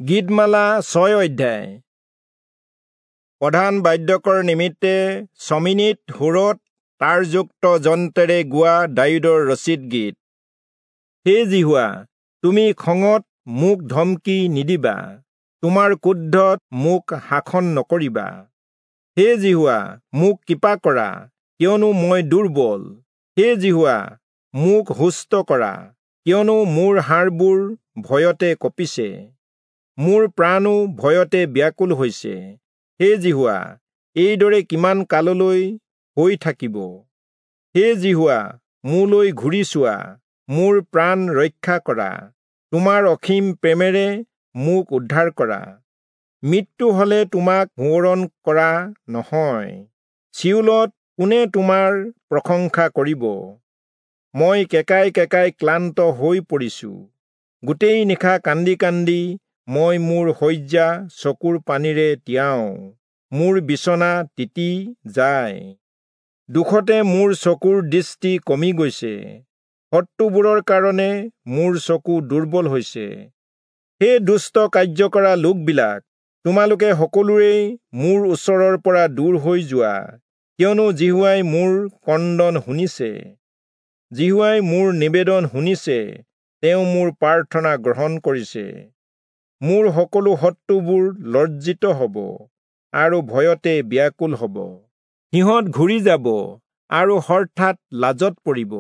গীতমালা 6 অধ্যায়। প্ৰধান বাদ্যকৰ নিমিত্তে চমিনিত সুৰত তাৰযুক্ত যন্ত্ৰেৰে গোৱা দায়ূদৰ ৰচিত গীত। হে যিহোৱা, তুমি খঙত মোক ধমকি নিদিবা, তোমাৰ ক্ৰোধত মোক শাসন নকৰিবা। হে যিহোৱা, মোক কৃপা কৰা, কিয়নো মই দুৰ্বল। হে যিহোৱা, মোক সুস্থ কৰা, কিয়নো মোৰ হাড়বোৰ ভয়তে কঁপিছে, মোৰ প্ৰাণো ভয়তে ব্যাকুল হৈছে। হে যিহোৱা, এইদৰে কিমান কাললৈ হৈ থাকিব? হে যিহোৱা, মোলৈ ঘূৰি চোৱা, মোৰ প্ৰাণ ৰক্ষা কৰা, তোমাৰ অসীম প্ৰেমেৰে মোক উদ্ধাৰ কৰা। মৃত্যু হলে তোমাক সোঁৱৰণ কৰা নহয়, চিয়োলত কোনে তোমাৰ প্ৰশংসা কৰিব? মই কেঁকাই কেঁকাই ক্লান্ত হৈ পৰিছো, গোটেই নিশা কান্দি কান্দি মই মোৰ শয্যা চকুৰ পানীৰে তিয়াওঁ, মোৰ বিচনা তিতি যায়। দুখতে মোৰ চকুৰ দৃষ্টি কমি গৈছে, শত্ৰুবোৰৰ কাৰণে মোৰ চকু দুৰ্বল হৈছে। হে দুষ্ট কাৰ্য কৰা লোকবিলাক, তোমালোকে সকলোৰেই মোৰ ওচৰৰ পৰা দূৰ হৈ যোৱা, কিয়নো যিহোৱাই মোৰ ক্ৰন্দন শুনিছে, যিহোৱাই মোৰ নিবেদন শুনিছে, তেওঁ মোৰ প্ৰাৰ্থনা গ্ৰহণ কৰিছে। মোৰ সকলো শত্ৰুবোৰ লজ্জিত হ'ব আৰু ভয়তে ব্যাকুল হ'ব, সিহঁত ঘূৰি যাব আৰু হঠাৎ লাজত পৰিব।